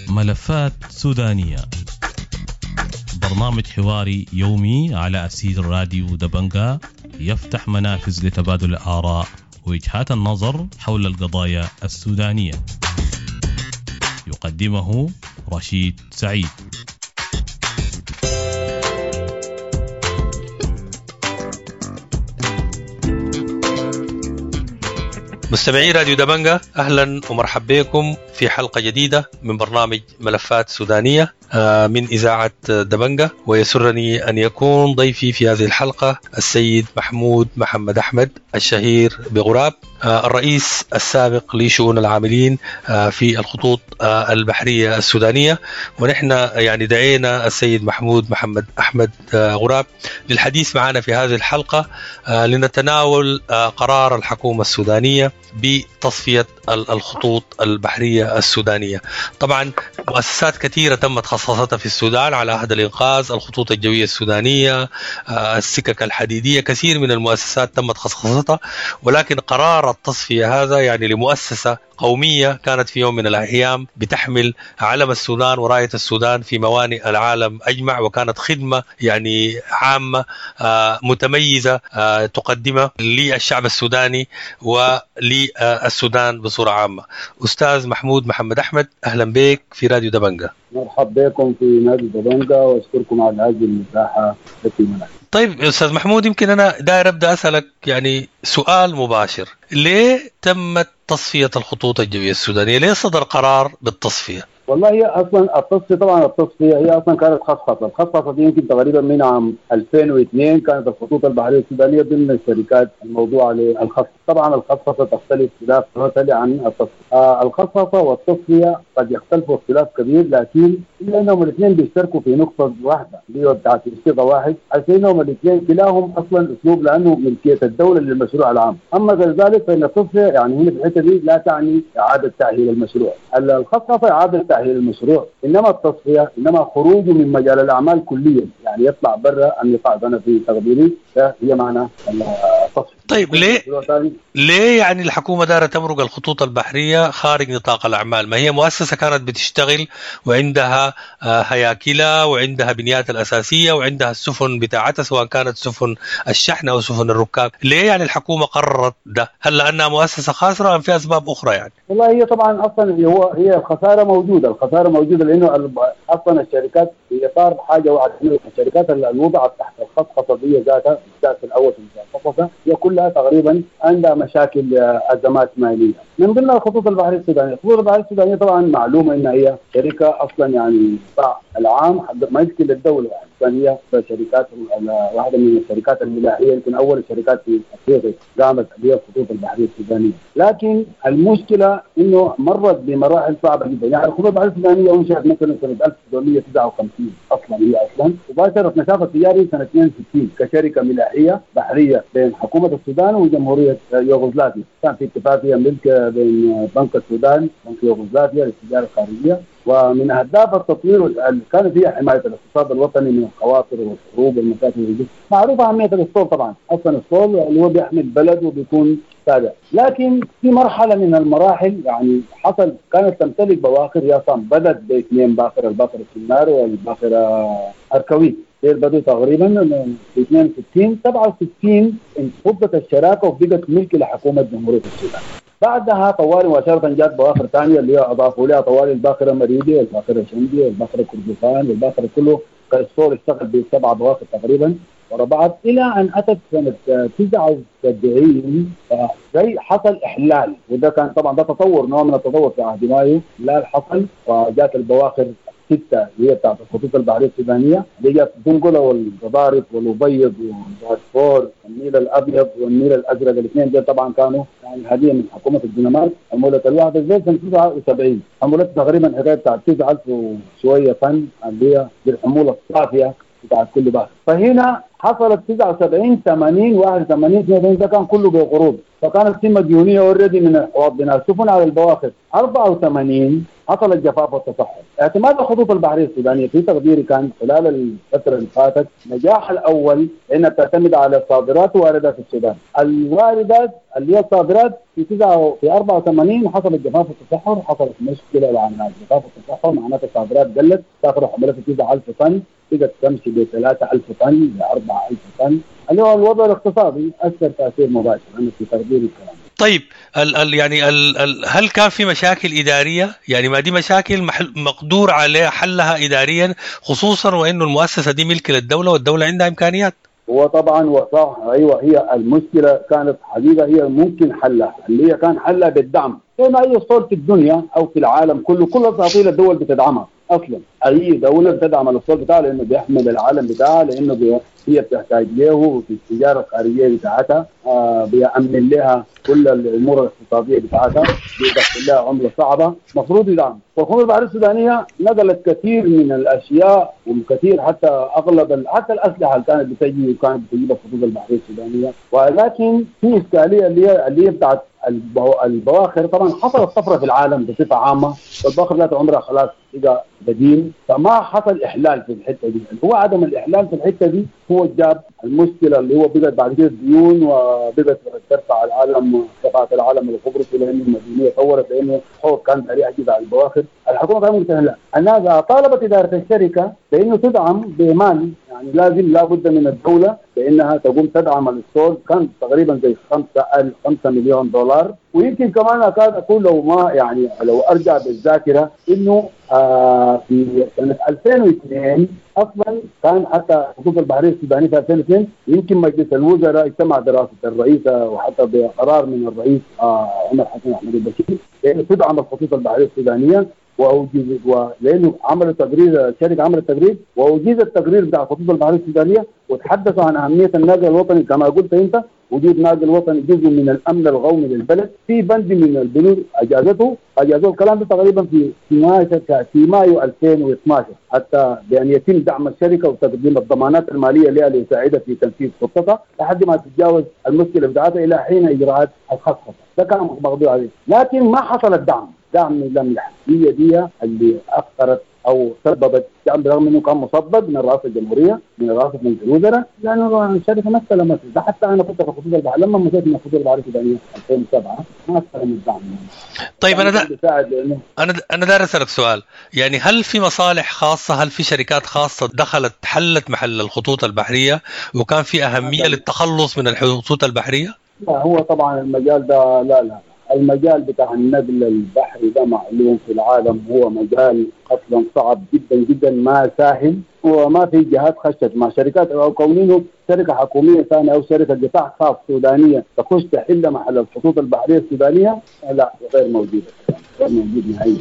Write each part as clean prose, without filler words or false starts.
ملفات سودانية، برنامج حواري يومي على أسير راديو دبنجا، يفتح منافذ لتبادل الآراء ووجهات النظر حول القضايا السودانية. يقدمه رشيد سعيد. مستمعي راديو دبنجا، أهلا ومرحبا بكم في حلقة جديدة من برنامج ملفات سودانية من إذاعة دبنجا. ويسرني أن يكون ضيفي في هذه الحلقة السيد محمود محمد أحمد الشهير بغراب، الرئيس السابق لشؤون العاملين في الخطوط البحرية السودانية. ونحن يعني دعينا السيد محمود محمد أحمد غراب للحديث معنا في هذه الحلقة لنتناول قرار الحكومة السودانية بتصفية الخطوط البحرية السودانية. طبعا مؤسسات كثيرة تمت خصصتها في السودان على عهد الإنقاذ، الخطوط الجوية السودانية، السكك الحديدية، كثير من المؤسسات تمت خصصتها، ولكن قرار التصفية هذا يعني لمؤسسة قومية كانت في يوم من الأيام بتحمل علم السودان وراية السودان في موانئ العالم أجمع، وكانت خدمة يعني عامة متميزة تقدمها للشعب السوداني وللسودان بصورة عامة. أستاذ محمود محمد أحمد، أهلا بك في راديو دبنجا. مرحبا بكم في نادي دبنجا وأشكركم على هذه المساحة التي منحت. طيب أستاذ محمود، يمكن أنا داير أبدأ أسألك يعني سؤال مباشر، ليه تمت تصفية الخطوط الجوية السودانية؟ ليه صدر قرار بالتصفية؟ والله هي اصلا التصفية، طبعا التصفية هي اصلا كانت خصخصه، الخصخصه دي يمكن تقريبا من عام 2002 كانت الخطوط البحرية السودانية ضمن الشركات الموضوعة للخصخصه. طبعا الخصخصه تختلف اختلاف توتالي عن التصفية. الخصخصه والتصفيه قد يختلفوا اختلاف كبير، لكن الا انهم الاثنين بيشتركوا في نقطة واحدة اللي هي بتاعت صيغة واحد، عشان انهم الاثنين كلاهم اصلا اسلوب لانه ملكية الدولة للمشروع العام. اما غير ذلك فان التصفية يعني هنا في الحتة دي لا تعني اعاده تاهيل المشروع، الخصخصه اعاده تأهيل المشروع، انما التصفية انما خروجه من مجال الاعمال كليا، يعني يطلع برا النطاق. انا في تقديري هي معنى التصفية. طيب ليه يعني الحكومة دارة تمرق الخطوط البحرية خارج نطاق الاعمال؟ ما هي مؤسسة كانت بتشتغل وعندها هياكلها وعندها بنياتها الاساسية وعندها السفن بتاعتها، سواء كانت سفن الشحن او سفن الركاب. ليه يعني الحكومة قررت ده؟ هل لانها مؤسسة خاسرة ام في اسباب اخرى يعني؟ والله هي طبعا اصلا هي الخسارة موجودة، الخسارة موجودة لانه اصلا الشركات في اطار حاجة واحدة، الشركات اللي وضعت تحت الخصخصه دي ذاتها الاساس الاول في الخصخصه هي كلها تقريبا عندها مشاكل ازمات ماليه. من ضمنها الخطوط البحرية السودانية، الخطوط البحرية السودانية طبعا معلومة انها هي شركة اصلا يعني قطاع العام ما يمكن للدولة، يعني هي شركات واحدة من الشركات الملاحيه، يمكن اول الشركات في افريقيا قامت بها الخطوط البحرية السودانية. لكن المشكلة انه مرت بمراحل صعبة جدا، يعني الخطوط البحرية السودانية انشئت مثلا سنة 1959 اصلا، هي اصلا وباشرت نشاطها التجاري سنة 62 كشركة ملاحيه بحرية بين حكومة السودان وجمهوريه يوغوسلافيا. كان في اتفاقية ملك بين بنك السودان بنك يوغوسلافيا للتجارة الخارجية، ومن اهداف التطوير كانت هي حماية الاقتصاد الوطني من الخواطر والحروب والمشاكل. معروفة اهمية الاسطول، طبعا اصلا الاسطول اللي هو بيحمي البلد وبيكون تابع. لكن في مرحلة من المراحل يعني حصل كانت تمتلك بواخر، يا صام بدات باثنين باخره، الباخرة السنار والباخره اركويت، بدوا تقريبا في 62 67 انفضت الشراكة وبقت ملك لحكومة جمهورية السودان. بعدها طوالي مباشرة جات بواخر ثانية اللي هي اضافوا لها طوالي الباخرة مريدي والباخره شندي والباخره كردفان والباخره كله، الاسطول اشتغل بسبع بواخر تقريبا ورا بعض، الى ان اتت سنة 79 زي حصل احلال، وده كان طبعا ده تطور، نوع من التطور في عهد مايو. احلال حصل وجات البواخر ستة اللي هي بتاعت الخطوط البحرية السودانية اللي جات دنقله والقضارف والابيض ودارفور والنيل الابيض والنيل الازرق، الاثنين دول طبعا كانوا يعني هديه من حكومة الدنمارك. حمولة الواحدة زي سنة 79 حمولتها تقريبا حكاية بتاعت 9000 وشوية طن اللي هي بالحموله الصافية بتاعت كل باخره. فهنا حصلت 79 80 81 82، ده كان كله بقروض، فكانت في مديونية already من حواض بناء السفن على البواخر. 84 حصل الجفاف والتصحر. اعتماد الخطوط البحرية السودانية في تقديري كان خلال الفترة اللي فاتت نجاح الاول انها بتعتمد على الصادرات وواردات السودان. الواردات اللي هي الصادرات في 84 حصل الجفاف والتصحر، حصلت مشكلة مع الجفاف والتصحر، معناته الصادرات قلت، تاخذ حملات 9000 طن بقت تمشي ب 3000 طن ب 4000 طن، اللي هو الوضع الاقتصادي اثر تاثير مباشر انا في تقديري الكلام. طيب ال يعني ال هل كان في مشاكل إدارية؟ يعني ما دي مشاكل مقدور عليها حلها إداريا، خصوصا وإنه المؤسسة دي ملك للدولة والدولة عندها إمكانيات. هو طبعا وصح، ايوه هي المشكلة كانت حقيقة هي ممكن حلها، اللي هي كان حلها بالدعم زي ما اي اسطول في الدنيا او في العالم كله، كل اساطيل الدول بتدعمها اصلا، اي دولة بتدعم الاسطول بتاعها لانه بيحمل العالم بتاعها، لانه هي بتحتاج له في التجارة الخارجية بتاعتها، بيأمن لها كل الامور الاقتصادية بتاعتها، بيدخل لها عمله صعبة، المفروض يدعم. والخطوط البحرية السودانية نقلت كثير من الاشياء وكثير حتى اغلب حتى الاسلحة اللي كانت بتجي وكانت بتجيب الخطوط البحرية السودانية، ولكن في اشكالية اللي هي بتاعت البواخر. طبعا حصلت طفرة في العالم بصفة عامة، والبواخر ذات عمرها خلاص بقى قديم، فما حصل احلال في الحتة دي. هو عدم الاحلال في الحتة دي هو جاب المشكلة اللي هو بقت بعد كده ديون، وبقت ترفع العالم، رفعت العالم القبرصي لانه المديونيه طورت، لانه حوض كان سريع جدا على البواخر. الحكومة كانت ممكن الناس طالبت ادارة الشركة بانه تدعم بمال، يعني لازم لابد من الدولة بانها تقوم تدعم الاسطول، كان تقريبا زي 5 مليون دولار. ويمكن كمان اكاد اقول لو ما يعني لو ارجع بالذاكرة انه في سنة 2002 اصلا كان حتى الخطوط البحرية السودانية في 2002 يمكن مجلس الوزراء اجتمع برئاسة الرئيس وحتى بقرار من الرئيس عمر حسن احمد البشير لانه تدعم الخطوط البحرية السودانية، واوجز ولانه عملوا تقرير، الشركة عملت تقرير واوجز التقرير بتاع الخطوط البحرية السودانية، وتحدثوا عن اهمية الناقل الوطني كما قلت انت، وجود ناقل وطني جزء من الامن القومي للبلد، في بند من البنود اجازته اجازوه الكلام ده تقريبا في 12 في مايو 2012، حتى بان يتم دعم الشركة وتقديم الضمانات المالية لها ليساعدها في تنفيذ خطتها لحد ما تتجاوز المشكلة بتاعتها الى حين اجراءات الخصخصه، ده كان مقدور عليه، لكن ما حصل الدعم، دعم لم يحدث. هي دي اللي اخرت او سببت دعم، برغم انه كان مصدق من رئاسة الجمهورية، من رئاسة مجلس الوزراء، لانه الشركة ما استلمت ده. حتى انا كنت في الخطوط البحرية لما مشيت من الخطوط البحرية السودانية 2007 ما استلم الدعم. طيب انا داير اسالك سؤال، يعني هل في مصالح خاصة، هل في شركات خاصة دخلت حلت محل الخطوط البحرية وكان في اهمية للتخلص من الخطوط البحرية؟ لا، هو طبعا المجال ده لا المجال بتاع النقل البحري ده معلوم في العالم، هو مجال اصلا صعب جدا جدا، ما سهل، وما في جهات خشت مع شركات او كونينه شركة حكومية ثانية او شركة قطاع خاص سودانيه تخش تحل محل الخطوط البحرية السودانية، لا غير موجودة، غير موجود نهائيا.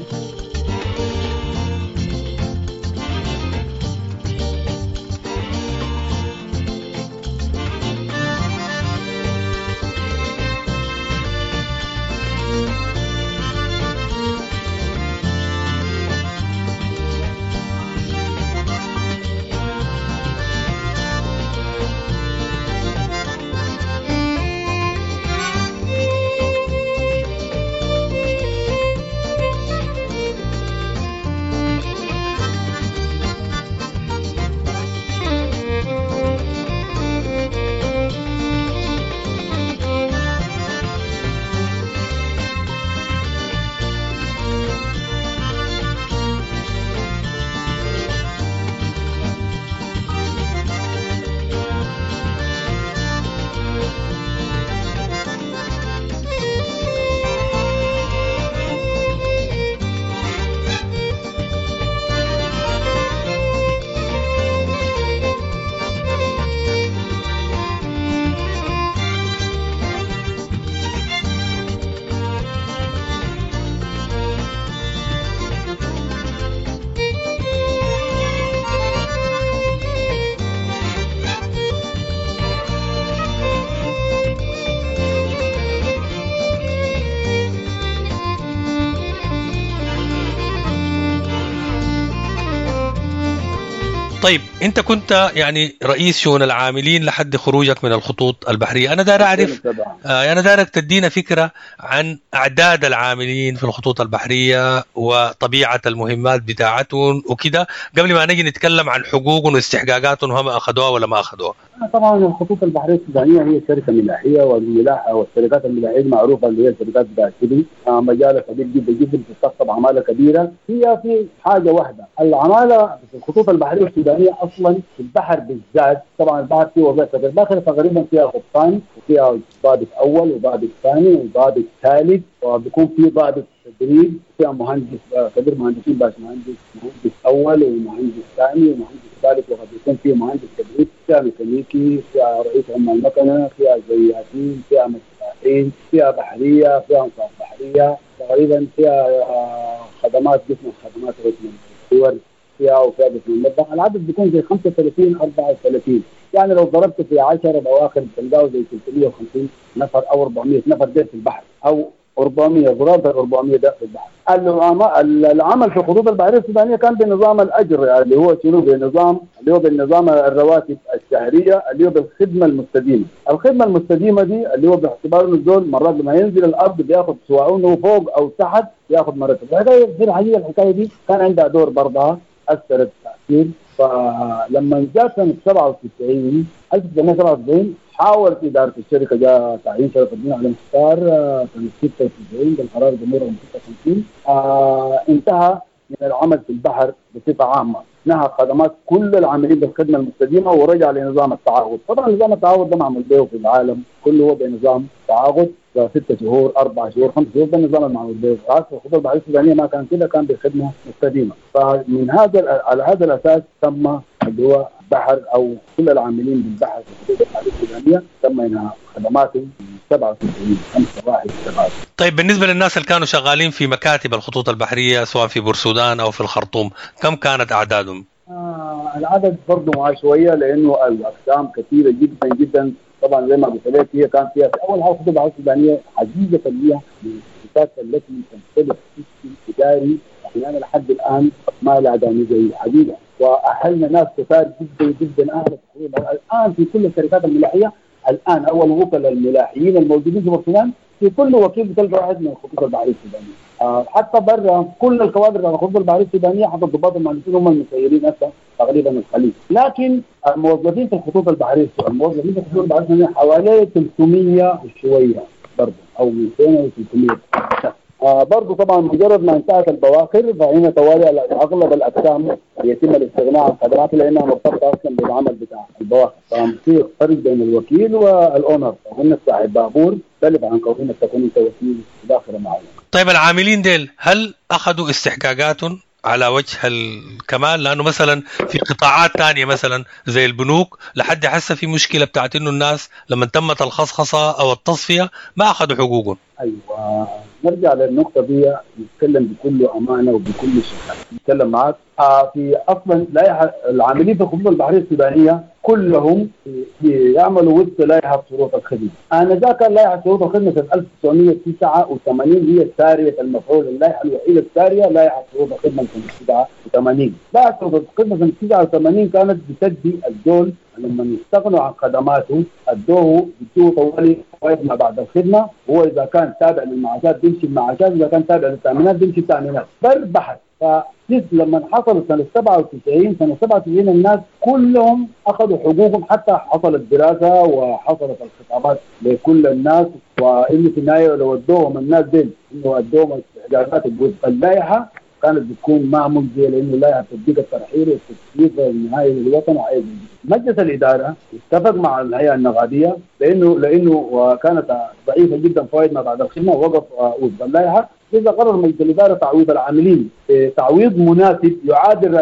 طيب انت كنت يعني رئيس شؤون العاملين لحد خروجك من الخطوط البحرية. انا داير اعرف، انا دايرك تدينا فكرة عن اعداد العاملين في الخطوط البحرية وطبيعه المهمات بتاعتهم وكده، قبل ما نجي نتكلم عن حقوقهم واستحقاقاتهم وهم اخذوها ولا ما اخذوها. طبعا الخطوط البحرية السودانية هي شركة ملاحيه، والملاحه والشركات الملاحيه المعروفة اللي هي الشركات بتاعت سيدي، مجالها كبير جدا جدا، بتستقطب عماله كبيرة. هي في حاجة واحدة، العمالة في الخطوط البحرية السودانية اصلا في البحر بالذات، طبعا البحر فيه وظائف الباخرة تقريبا فيها قبطان وفيها ضابط اول وضابط ثاني وضابط ثالث، وبيكون في ضابط تدريب، فيها مهندس كبير مهندسين، باش مهندس، مهندس اول ومهندس ثاني ومهندس ثالث، وقد يكون في مهندس تدريب، فيها ميكانيكي، فيها رئيس عمال مكنه، فيها زياتين، فيها مساحين، فيها بحرية، فيها انصاف بحرية، تقريبا فيها خدمات قسم الخدمات قسم الصور فيها، وفيها قسم المطبخ. العدد بيكون زي 35 34، يعني لو ضربت في 10 بواخر بتلقاه زي 350 نفر او 400 نفر ده في البحر، او 400 ضربت 400 ده في البحر. العمل في الخطوط البحرية السودانية كان بنظام الاجر، اللي هو شنو؟ بنظام اللي هو بالنظام الرواتب الشهرية، اللي هو بالخدمة المستديمه. الخدمة المستديمه دي اللي هو باعتبار انه الزول مرات لما ينزل الارض بياخذ سواء انه فوق او تحت بياخذ مرتب. الحكاية في الحقيقة الحكاية دي كان عندها دور برضها، اثرت تاثير. فلما جاء سنة 97 1997 حاولت ادارة الشركة، جاء تعيين شرف الدين علي مختار سنة 96 بالقرار الجمهوري رقم 56، انتهى من العمل في البحر بصفة عامة، نهى خدمات كل العاملين بالخدمة المستديمه ورجع لنظام التعاقد. طبعا نظام التعاقد ده معمول به في العالم كله، هو بنظام تعاقد 6 شهور 4 شهور 5 شهور، ده النظام المعمول به. الخطوط البحرية السودانية ما كان كده، كان بخدمة مستديمه. فمن هذا على هذا الاساس تم اللي هو بحر او كل العاملين بالبحر في الخطوط البحرية السودانية تم انهاء خدماتهم 97 5 1 7. طيب بالنسبة للناس اللي كانوا شغالين في مكاتب الخطوط البحرية سواء في بورسودان او في الخرطوم، كم كانت اعدادهم؟ العدد برضه معاه شوية لانه الاقسام كثيرة جدا جدا. طبعا زي ما قلت لك هي كان فيها في اول حاجة الخطوط البحرية السودانية حقيقة هي من الشركات التي تمتلك system اداري احيانا لحد الان ما لها زي حقيقة، واهلنا ناس كثار جدا جدا اهل الان في كل الشركات الملاحيه الان. اول وكلاء الملاحيين الموجودين في بورسودان في كل وكيل بتلقى واحد من الخطوط البحرية السودانية. حتى برا كل الكوادر بتاع الخطوط البحرية السودانية حتى الضباط المهندسين هم المسيرين هسه تقريبا الخليج. لكن الموظفين في الخطوط البحرية الموظفين في الخطوط البحرية السودانية حوالي 300 وشوية برضه او 200 و 300 شخص. برضه طبعا مجرد ما انتهت البواخر فهنا توالي اغلب الاقسام يتم الاستغناء عن خدماتها لانها مرتبطة اصلا بالعمل بتاع البواخر. ففي فرق بين الوكيل وال owner، كونك صاحب بابور يختلف عن كونك تكون انت وكيل باخره معينة. طيب العاملين ديل هل اخذوا استحقاقاتهم على وجه الكمال؟ لانه مثلا في قطاعات ثانية مثلا زي البنوك لحد حسه في مشكلة بتاعت انه الناس لما تمت الخصخصه او التصفية ما اخذوا حقوقهم. ايوه نرجع للنقطة دي، نتكلم بكل امانه وبكل شفافية. نتكلم معك في اصلا لائحة العاملين في الخطوط البحرية السودانية كلهم يعملوا وفق لائحة شروط الخدمة. انذاك لائحة شروط الخدمة سنة 1989 هي ساريه المفعول، اللائحة الوحيدة الساريه لائحة شروط الخدمة سنة 89. لائحة شروط الخدمة سنة 89 كانت بتدي الزول لما يستغنوا عن خدماته ادوه بيدوه طوالي فوائد ما بعد الخدمة، هو اذا كان تابع للمعاشات بيمشي المعاشات، اذا كان تابع للتامينات بيمشي التامينات، بر بحر. فلما حصل سنة 97 سنة 97 الناس كلهم اخذوا حقوقهم، حتى حصلت دراسة وحصلت الخطابات لكل الناس، وانه في النهاية لو ادوهم الناس دي انه ادوهم استحقاقات اللائحة كانت بتكون ما مجزية، لانه اللائحة بتديك الترحيل والتسليف النهائي للوطن. وعايز مجلس الادارة اتفق مع الهيئة النقابيه لانه كانت ضعيفة جدا فوائد ما بعد الخدمة، ووقف وفق اللائحة. اذا قرر مجلس الادارة تعويض العاملين تعويض مناسب يعادل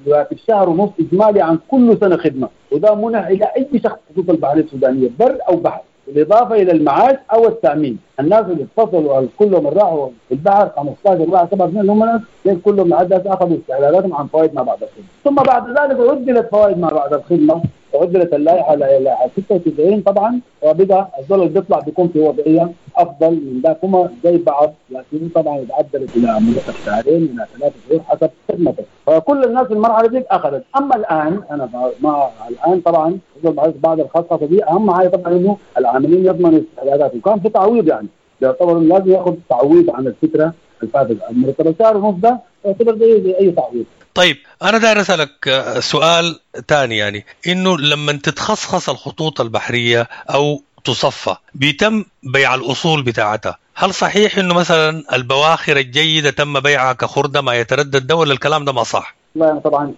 راتب شهر ونص اجمالي عن كل سنة خدمة، وده منح الى اي شخص خطوط البحرية السودانية بر او بحر، بالاضافة الى المعاش او التامين. الناس اللي اتصلوا كلهم راحوا في البحر 15 4 7 2 هم ناس كلهم لحد اخذوا استعلالاتهم عن فوائد ما بعد الخدمة، ثم بعد ذلك عدلت فوائد ما بعد الخدمة عدلت اللائحة لائحة 96 طبعا، وبقى الزول اللي بيطلع بيكون في وضعية افضل من ذاك، هم زي بعض، لكن طبعا اتعدلت الى مده شهرين الى 3 شهور حسب خدمتك. فكل الناس في المرحلة دي اخذت. اما الان انا مع الان طبعا بعد الخصخصه دي اهم حاجة طبعا انه العاملين يضمنوا استعداداتهم، وكان في تعويض، يعني يعتبر لازم ياخذ تعويض عن الفترة الفاتت. المرتب شهر ونص ده يعتبر زي اي تعويض. طيب انا داير اسالك سؤال ثاني، يعني انه لما تتخصخص الخطوط البحرية او تصفى بيتم بيع الاصول بتاعتها، هل صحيح انه مثلا البواخر الجيدة تم بيعها كخرده ما يتردد ده، ولا الكلام ده ما صح؟ والله انا طبعا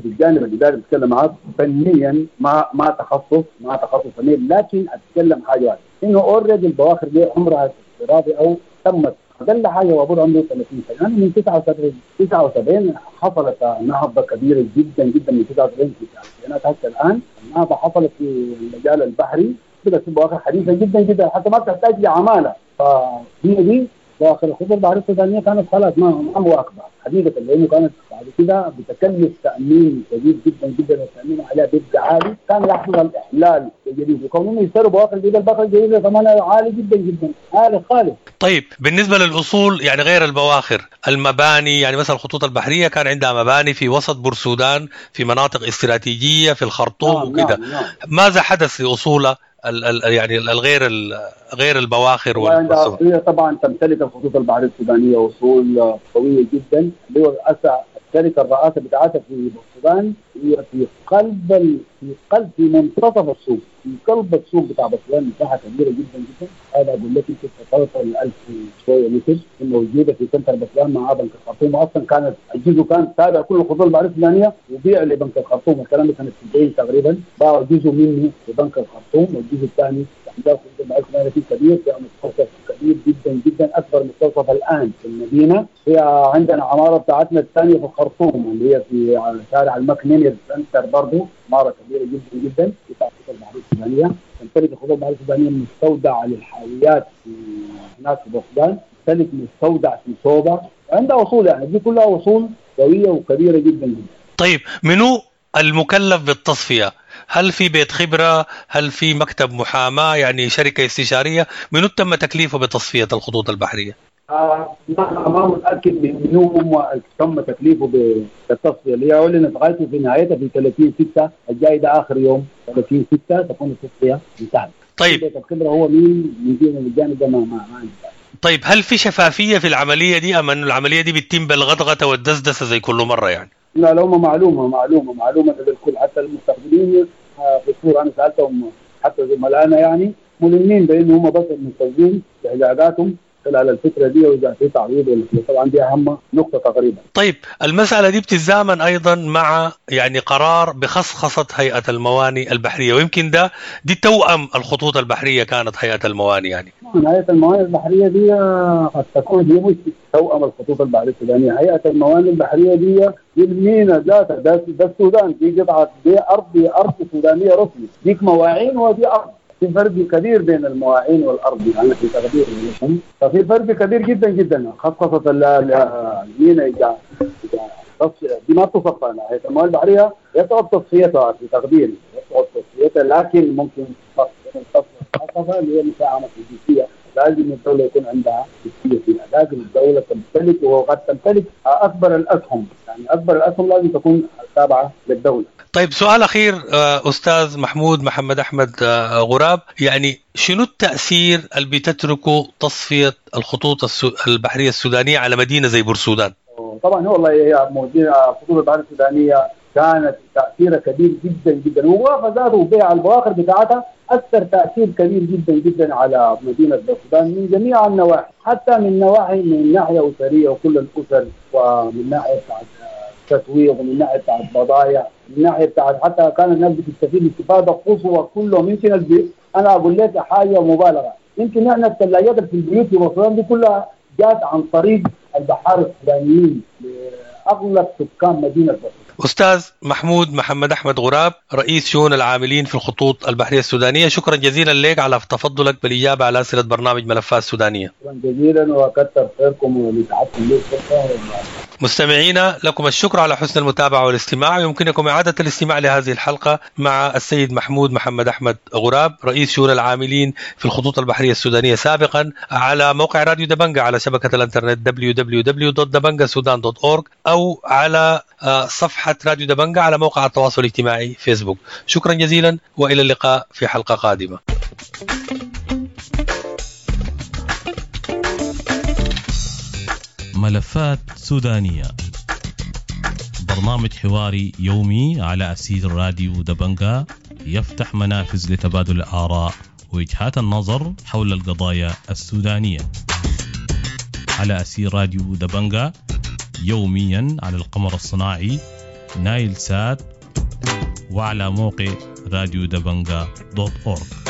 بالجانب الاداري بتكلم معاك فنيا، ما تخصص فني، لكن اتكلم حاجة واحدة، انه already البواخر دي عمرها افتراضي او تمت اقل حاجة وابور عمره 30 سنة، يعني من 79 حصلت نهضة كبيرة جدا جدا من 79 في التسعينات حتى الان. النهضة حصلت في المجال البحري، بدات في بواخر حديثه جدا جدا حتى ما بتحتاج لعماله. فهي دي بواخر الخطوط البحرية السودانية كانت خلاص ما مواكبة حقيقة، لانه كانت بعد كده بتكلف تامين شديد جدا جدا، والتامين عليها بيبقى عالي، كان يحصل الاحلال الجديد، وكونهم يشتروا بواخر جديدة، البواخر الجديدة ثمنها عالي جدا جدا، عالي خالص. طيب بالنسبة للاصول يعني غير البواخر، المباني، يعني مثلا الخطوط البحرية كان عندها مباني في وسط بورسودان، في مناطق استراتيجية في الخرطوم وكده. نعم. ماذا حدث لاصولها يعني الغير غير البواخر والسفن؟ هي طبعا تمتلك الخطوط البحرية السودانية اصول قوية جدا، اللي هو الشركة الرئاسة بتاعتها في السودان هي في قلب في منتصف السوق، في قلب السوق بتاع بورسودان، مساحة كبيرة جدا جدا. هذا اقول لك يمكن توصل 1000 شوية متر، موجودة في center بورسودان مع بنك الخرطوم. اصلا كانت الجزء كان تابع كل الخطوط البحرية السودانية وبيع لبنك الخرطوم، الكلام ده سنة 90 تقريبا، باعوا جزء منه لبنك الخرطوم، والجزء الثاني عندها الخطوط البحرية السودانية في كبير، فيها مستوصف كبير جدا جدا، اكبر مستوصف الان في المدينة. هي عندنا عمارة بتاعتنا الثانية في الخرطوم اللي هي في شارع المكنينير center، برضه عمارة كبيرة جدا جدا بتاعت الخطوط البحرية السودانية. تمتلك الخطوط البحرية السودانية مستودع للحاويات في هناك في بورسودان، تمتلك مستودع في سوبا، عندها اصول، يعني دي كلها اصول قوية وكبيره جدا جدا. طيب منو المكلف بالتصفيه؟ هل في بيت خبره؟ هل في مكتب محاماة؟ يعني شركة استشارية؟ منو تم تكليفه بتصفية الخطوط البحرية؟ ما متاكد من منو هم تم تكليفه بالتصفيه، اللي هي اعلنت غايته في نهايتها في 30/6 الجاي، ده اخر يوم 30/6 تكون التصفية انتهت. طيب بيت الخبرة هو مين من الجانب ده ما عندي. طيب هل في شفافية في العملية دي، ام انه العملية دي بتتم بالغدغه والدسدسه زي كل مرة يعني؟ لا، لو ما معلومة للكل، حتى المستخدمين في الصورة انا سالتهم حتى زملائنا يعني ملمين بانه هم بس المستخدمين باحتياجاتهم خلال الفترة دي، واذا في تعويض ولا طبعا دي اهم نقطة تقريبا. طيب المسالة دي بتتزامن ايضا مع يعني قرار بخصخصه هيئة المواني البحرية، ويمكن ده دي توأم الخطوط البحرية كانت هيئة المواني يعني. هيئة المواني البحرية دي قد تكون هي مش توأم الخطوط البحرية السودانية، هيئة المواني البحرية دي المينا ذاتها، ده السودان، دي قطعه، دي ارض سودانيه رسمي، ديك مواعين ودي ارض. في فرق كبير بين المواعين والارض، انا في تقديري ففي فرق كبير جدا جدا. خصخصه المينا دي ما تصفى، هيئة الموانئ البحرية يصعب تصفيتها في تقديري، يصعب تصفيتها، لكن ممكن تصفيتها اللي هي مساهمة الجنسية. لازم الدولة يكون عندها جنسية فيها، لازم الدولة تمتلك، وقد تمتلك اكبر الاسهم، يعني اكبر الاسهم لازم تكون تابعه للدولة. طيب سؤال أخير أستاذ محمود محمد أحمد غراب، يعني شنو التأثير اللي بتتركه تصفية الخطوط البحرية السودانية على مدينة زي بورسودان؟ طبعا والله هي الخطوط البحرية السودانية كانت تأثيرها كبير جدا جدا، ووقف ذاته وبيع البواخر بتاعتها أثر تأثير كبير جدا جدا على مدينة بورسودان من جميع النواحي، حتى من نواحي من ناحية أسرية وكل الأسر، ومن ناحية بتاعت تسويق، ومن ناحية بتاعت بضايع، من ناحية بتاعت حتى كان الناس بتستفيد استفاده قصوى كلهم. يمكن انا اقول لك حاجة مبالغه، يمكن احنا الثلاجات في البيوت في بورسودان دي كلها جات عن طريق البحار السودانيين لاغلب سكان مدينة بورسودان. أستاذ محمود محمد أحمد غراب، رئيس شؤون العاملين في الخطوط البحرية السودانية، شكرا جزيلا لك على تفضلك بالإجابة على أسئلة برنامج ملفات سودانية. شكرا جزيلا وكثر خيركم ولتعبكم لي الفرصة. مستمعينا، لكم الشكر على حسن المتابعة والاستماع. يمكنكم إعادة الاستماع لهذه الحلقة مع السيد محمود محمد أحمد غراب، رئيس شؤون العاملين في الخطوط البحرية السودانية سابقا، على موقع راديو دبنجا على شبكة الانترنت www.dabangasudan.org، أو على صفحة راديو دبنجا على موقع التواصل الاجتماعي فيسبوك. شكرا جزيلا، وإلى اللقاء في حلقة قادمة. ملفات سودانية، برنامج حواري يومي على أثير راديو دبنجا، يفتح منافذ لتبادل الآراء ووجهات النظر حول القضايا السودانية على أثير راديو دبنجا، يوميا على القمر الصناعي نايل سات وعلى موقع راديو دبنجا .org.